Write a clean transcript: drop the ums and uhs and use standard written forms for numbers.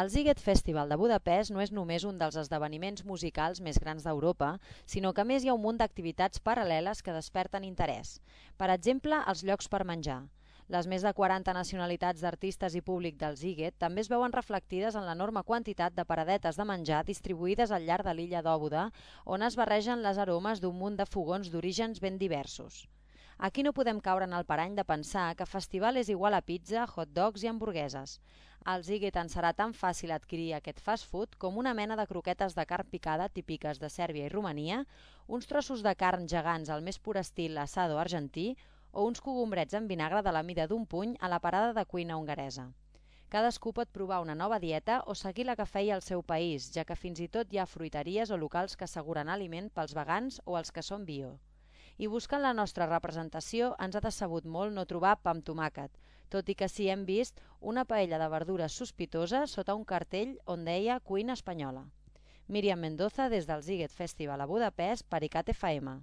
El Sziget Festival de Budapest no és només un dels esdeveniments musicals més grans d'Europa, sinó que a més hi ha un munt d'activitats paral·leles que desperten interès. Per exemple, els llocs per menjar. Les més de 40 nacionalitats d'artistes i públic del Sziget també es veuen reflectides en l'enorme quantitat de paradetes de menjar distribuïdes al llarg de l'illa d'Òbuda, on es barregen les aromes d'un munt de fogons d'orígens ben diversos. Aquí no podem caure en el parany de pensar que festival és igual a pizza, hot dogs i hamburgueses. Al Sziget ens serà tan fàcil adquirir aquest fast food com una mena de croquetes de carn picada típiques de Sèrbia i Romania, uns trossos de carn gegants al més pur estil asado argentí o uns cogombrets en vinagre de la mida d'un puny a la parada de cuina hongaresa. Cadascú pot provar una nova dieta o seguir la que feia al seu país, ja que fins i tot hi ha fruiteries o locals que asseguren aliment pels vegans o els que són bio. I buscant la nostra representació ens ha decebut molt no trobar pa amb tomàquet, tot i que sí hem vist una paella de verdures sospitosa sota un cartell on deia cuina espanyola. Míriam Mendoza des del Sziget Festival a Budapest per ICAT FM.